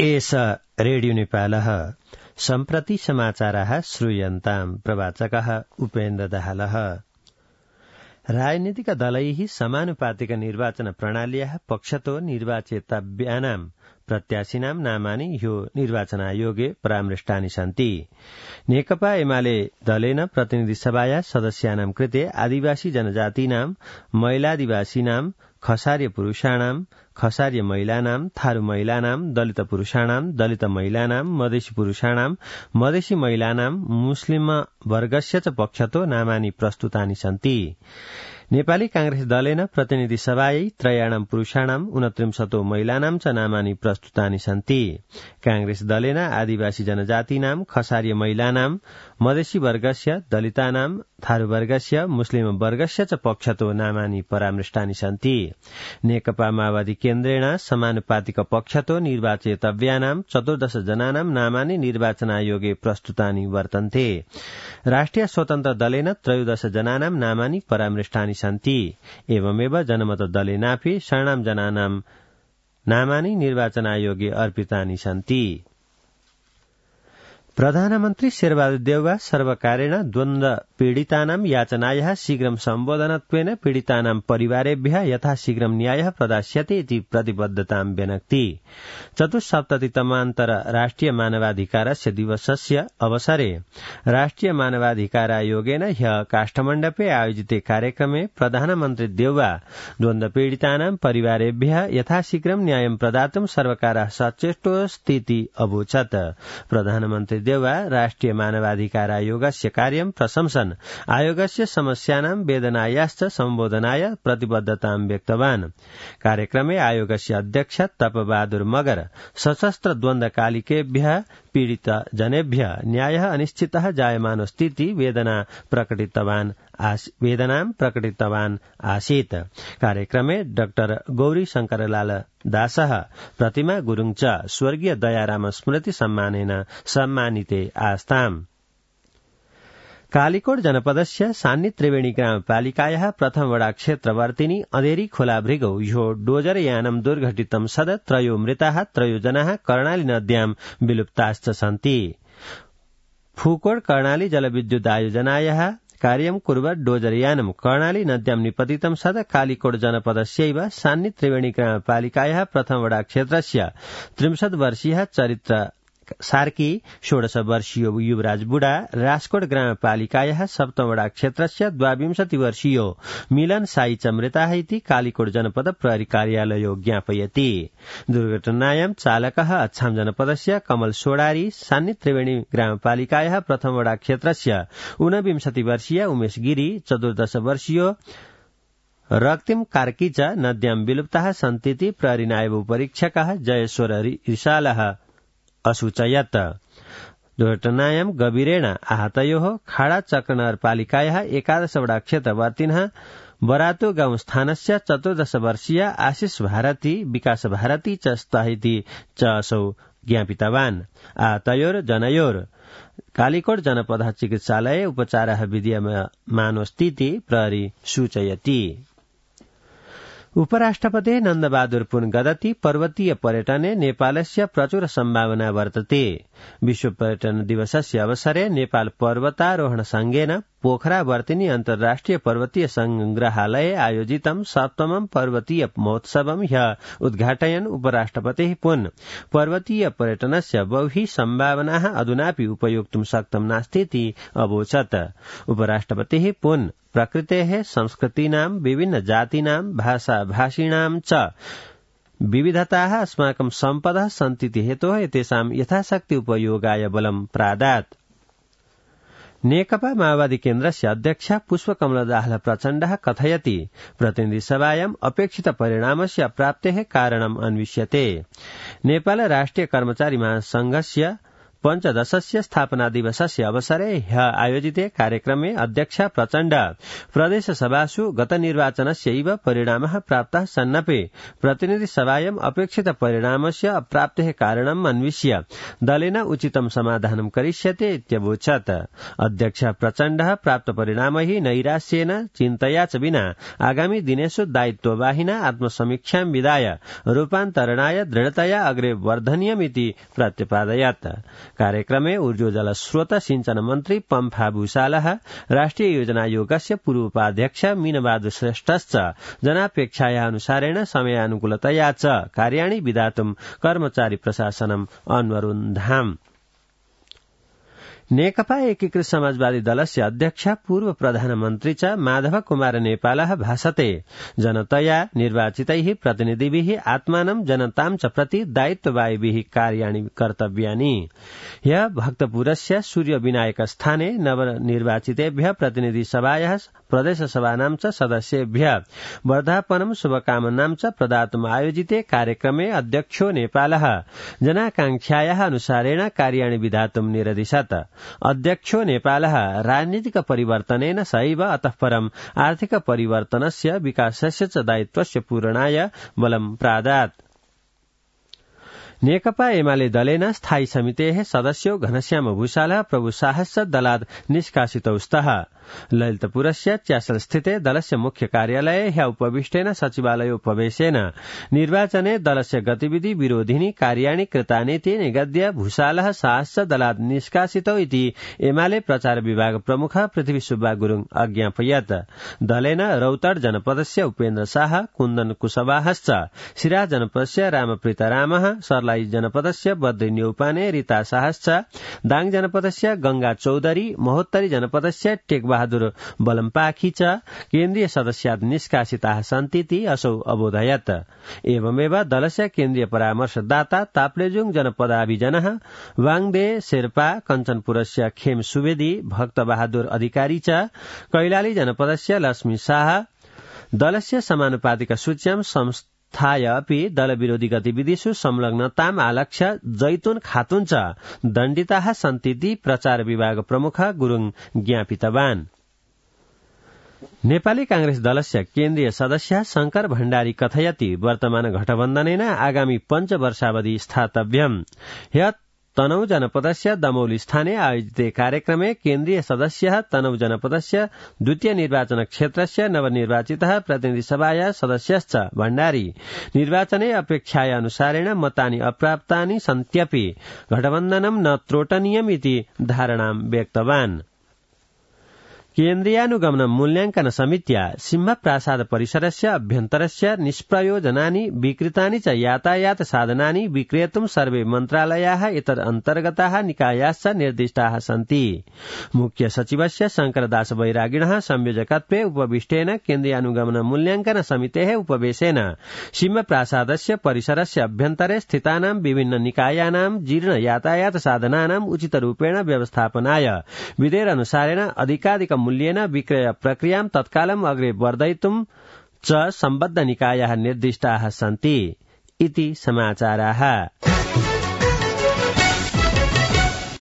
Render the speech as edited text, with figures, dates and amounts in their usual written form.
एष रेडियो नेपालः सम्प्रति समाचाराः श्रूयन्ताम् प्रवाचकः उपेन्द्र दाहालः। राजनीतिक दलैः समानुपातिक निर्वाचन प्रणाल्याः पक्षतो निर्वाचितव्यानां प्रत्याशिनां नामानि ह्यो निर्वाचनायोगे परामृष्टानि सन्ति। नेकपा एमाले दलेन प्रतिनिधि सभाया सदस्यानां कृते आदिवासी जनजातीनां, महिलादिवासीनां, खसार्य पुरुषाणां, खसार्य महिलानां, थारू महिलानां, दलित पुरुषाणां, दलित महिलानां, मधेसी पुरुषाणां, मधेसी महिलानां, मुस्लिम वर्गस्य च पक्षतो नामानि प्रस्तुतानि सन्ति। नेपाली कांग्रेस दलेन प्रतिनिधि सभायै त्रयाणां पुरुषाणां 29 महिलानां च नामानि प्रस्तुतानि सन्ति। कांग्रेस दलेन आदिवासी जनजातीनां, खसार्य महिलानां, मधेसी वर्गस्य, दलितानां, थारू वर्गस्य, मुस्लिम वर्गस्य च पक्षतो नामानि परामृष्टानि सन्ति। नेकपा माओवादी केन्द्रेण समानुपातिक पक्षतो निर्वाचितव्यानां 14 जनानां नामानि निर्वाचन आयोगे प्रस्तुतानि वर्तन्ते। राष्ट्रिय स्वतन्त्र दलेन 13 जनानां नामानि परामृष्टानि सन्ति। एवमेव जनमत दलेनापि 6 जनानां नामानि निर्वाचन आयोगे अर्पितानि सन्ति। प्रधानमन्त्री शेरबहादुर देउवा सर्वकारेण द्वन्द्व पीडितानां याचनायाः शीघ्रं सम्बोधनत्वेन पीडितानां परिवारेभ्यः यथाशीघ्रं न्यायः प्रदास्यते इति प्रतिबद्धतां व्यनक्ति। चतुस्सप्ततितमान्तर राष्ट्रिय मानवाधिकारस्य दिवसस्य अवसरे राष्ट्रिय मानवाधिकारायोगेन ह्यः काष्ठमण्डपे आयोजिते कार्यक्रमे प्रधानमन्त्री देउवा द्वन्द्व पीडितानां परिवारेभ्यः यथाशीघ्रं न्यायं प्रदातुं सर्वकारः सचेष्टोऽस्तीति अवोचत्। प्रधानमन्त्री देउवा राष्ट्रिय मानवाधिकार आयोगस्य कार्यं प्रशंसन् आयोगस्य समस्यानां वेदनायाश्च सम्बोधनाय प्रतिबद्धतां व्यक्तवान्। कार्यक्रमे आयोगस्य अध्यक्ष तपबहादुर मगर सशस्त्र द्वन्द्वकालिकेभ्यः पीडित जनेभ्यः न्यायः अनिश्चितः जायमानोऽस्तीति वेदनां प्रकटितवान् आसीत्। कार्यक्रमे डाक्टर गौरी शंकरलाल दासः, प्रतिमा गुरुङ च स्वर्गीय दयाराम स्मृति सम्मानेन सम्मानिते आस्ताम्। कालीकोट जनपदस्य सान्नी त्रिवेणी ग्रामपालिकायाः प्रथम वडा क्षेत्रवर्तिनी अधेरी खोला भृगौ ह्यो डोजर यानं दुर्घटितं सद 3 मृताः 3 जनाः कर्णाली नद्यां विलुप्ताश्च सन्ति। फूकोट कर्णाली जलविद्युत आयोजनायाः कार्यं कुर्वत् डोजरयानं कर्णाली नद्यां निपतितं सद कालीकोट जनपदस्यैव सान्नी त्रिवेणी ग्रामपालिकायाः प्रथम वडा क्षेत्रस्य 63 वर्षीयः चरित्र सार्की, 16 वर्षीय युवराज बुढा, राजकोट ग्रामपालिकायाः सप्तम वडा क्षेत्रस्य 22 वर्षीयो मिलन साई च मृताः इति कालीकोट जनपद प्रहरी कार्यालयो ज्ञापयति। दुर्घटनायां चालकः अछाम जनपदस्य कमल सोडारी, सान्नी त्रिवेणी ग्रामपालिकायाः प्रथम वडा क्षेत्रस्य 29 वर्षीय उमेश गिरी, 14 वर्षीयो रक्तिम कार्की च नद्यां विलुप्ताः सन्तीति प्रहरी नायब उपरीक्षकः जयेश्वर रिसालः असूचयत्। दुर्घटनायां गभीरेण आहतयोः खाडा चक्रनगरपालिकायाः 11 वडा क्षेत्रवर्तिनः बरातो गाउँ स्थानस्य 14 वर्षीय आशिष भारती, विकास भारती च स्तः च असौ ज्ञापितवान्। आहतयोर जनयोर कालीकोट जनपद चिकित्सालये उपचारः विद्यमानोऽस्तीति प्रहरी सूचयति। उपराष्ट्रपति नन्दबहादुर पुन गदति पर्वतीय पर्यटने नेपालस्य प्रचुर सम्भावना वर्तते। विश्व पर्यटन दिवसस्य अवसरे नेपाल पर्वतारोहण संघेन पोखरा वर्तिनी अन्तर्राष्ट्रिय पर्वतीय संग्रहालये आयोजितं 7मं पर्वतीय महोत्सवं ह्यः उद्घाटयन् उपराष्ट्रपतिः पुन पर्वतीय पर्यटनस्य बहु सम्भावनाः अधुनापि उपयोक्तुं शक्तं नास्तीति अवोचत्। उपराष्ट्रपतिः पुन प्रकृतेः संस्कृतीनां विभिन्न जातीनां भाषा भाषिणां च विविधताः अस्माकं सम्पदः सन्तीति हेतोः एतेषां यथाशक्ति उपयोगाय बलं प्रादात्। नेकपा माओवादी केन्द्रस्य अध्यक्ष पुष्पकमल दाहाल प्रचण्डः कथयति प्रतिनिधि सभायां अपेक्षित परिणामस्य प्राप्तेः कारणम् अन्विष्यते। नेपाल राष्ट्रिय कर्मचारी महासंघस्य पञ्चदशस्य स्थापना दिवसस्य अवसरे ह्य आयोजिते कार्यक्रमे अध्यक्षा प्रचण्ड प्रदेशसभासु गतनिर्वाचनस्यैव परिणामः प्राप्तः सन्नपि प्रतिनिधिसभायाम् अपेक्षित परिणामस्य अप्राप्तेः कारणम् अन्विष्य दलेन उचितं समाधानं करिष्यते इत्यवोचत्। अध्यक्ष प्रचण्डः प्राप्त परिणामैः नैराश्येन चिन्तया च विना आगामी दिनेषु दायित्ववाहिना आत्मसमीक्षां विधाय रूपान्तरणाय दृढतया अग्रे वर्धनीयमिति प्रत्यपादयत्। कार्यक्रमे ऊर्जोजलस्रोत सिंचन मन्त्री पम्फा भूषालः राष्ट्रिय योजनायोगस्य पूर्वोपाध्यक्ष मीनबहादुर श्रेष्ठश्च जनापेक्षायाः अनुसारेण समयानुकूलतया च कार्याणि विधातुं कर्मचारी प्रशासनम् अन्वरुन्धाम्। नेकपा एकीकृत समाजवादी दलस्य अध्यक्ष पूर्व प्रधानमन्त्री च माधव कुमार नेपालः भाषते जनतया निर्वाचितैः प्रतिनिधिभिः आत्मानं जनतां च प्रति दायित्ववाहिभिः कार्याणि कर्तव्यानि। ह्यः भक्तपुरस्य सूर्यविनायक स्थाने नवनिर्वाचितेभ्यः प्रतिनिधिसभायाः प्रदेशसभानां च सदस्येभ्यः वर्धापनं शुभकामनां च प्रदातुम् आयोजिते कार्यक्रमे अध्यक्षो नेपालः जनाकांक्षायाः अनुसारेण कार्याणि विधातुं निरदिशत्। अध्यक्षो नेपालः राजनीतिक परिवर्तनेन सहैव अतः परम् आर्थिक परिवर्तनस्य विकासस्य च दायित्वस्य पूरणाय बलं प्रादात्। नेकपा एमाले दलेन स्थायी समितेः सदस्यो घनश्याम भूषालः प्रभुशाहश्च दलात् निष्कासितौ स्तः। ललितपुरस्य च्यासलस्थिते दलस्य मुख्य कार्यालये ह्य उपविष्टेन सचिवालयोपवेशेन निर्वाचने दलस्य गतिविधि विरोधिनी कार्याणि कृतानीति निगद्य भूषालः शाहश्च दलात् निष्कासितौ इति एमाले प्रचार विभाग प्रमुख पृथ्वी सुब्बा गुरुङ अज्ञापयत्। दलेन रौतड जनपदस्य उपेन्द्र शाह, कुन्दन कुशवाहश्च, सिराहा जनपदस्य रामप्रीतरामः, सर्लाई जनपदस्य बद्री न्यौपाने रीता शाहश्च, दाङ जनपदस्य गंगा चौधरी, महोत्तरी जनपदस्य टेकबहादुर बलम्पाखी च केन्द्रीय सदस्यात् निष्कासिताः सन्तीति असौ अबोधयत्। एवमेव दलस्य केन्द्रीय परामर्शदाता ताप्लेजुङ जनपदाभिजनः वाङदे शेर्पा, कञ्चनपुरस्य खेम सुवेदी, भक्तबहादुर अधिकारी च, कैलाली जनपदस्य लक्ष्मी शाह दलस्य समानुपातिक सूच्यां संस्थाय अपि दलविरोधी गतिविधिषु संलग्नताम् आलक्ष्य जैतून खातुन च दण्डिताः सन्तीति प्रचार विभाग प्रमुख गुरुङ ज्ञापितवान्। नेपाली कांग्रेस दलस्य केन्द्रीय सदस्य शंकर भण्डारी कथयति वर्तमान गठबन्धनेन आगामी पञ्चवर्षावधि स्थातव्यम्। ह्यः तनहु जनपदस्य दमौली स्थाने आयोजिते कार्यक्रमे केन्द्रीय सदस्यः तनहु जनपदस्य द्वितीय निर्वाचन क्षेत्रस्य नवनिर्वाचितः प्रतिनिधिसभाया सदस्यश्च भण्डारी निर्वाचने अपेक्षाया अनुसारेण मतानि अप्राप्तानि सन्त्यपि गठबन्धनं न त्रोटनीयम् इति धारणां व्यक्तवान्। केन्द्रीयानुगमन मूल्याङ्कन समित्या सिंहप्रासाद परिसरस्य अभ्यन्तरस्य निष्प्रयोजनानि विकृतानि च यातायात साधनानि विक्रेतुं सर्वे मन्त्रालयाः एतदन्तर्गताः निकायाश्च निर्दिष्टाः सन्ति। मुख्य सचिवस्य शंकरदास बैरागिणः संयोजकत्वे उपविष्टेन केन्द्रीयानुगमन मूल्याङ्कन समितेः उपवेशेन सिंहप्रासादस्य परिसरस्य अभ्यन्तरे स्थितानां विभिन्न निकायानां जीर्ण यातायात साधनानां उचितरूपेण व्यवस्थापनाय विधेयकानुसारेण अधिकाधिक मूल्येन विक्रय प्रक्रियां तत्कालम् अग्रे वर्धयितुं च सम्बद्ध निकायाः निर्दिष्टाः सन्ति इति समाचाराः।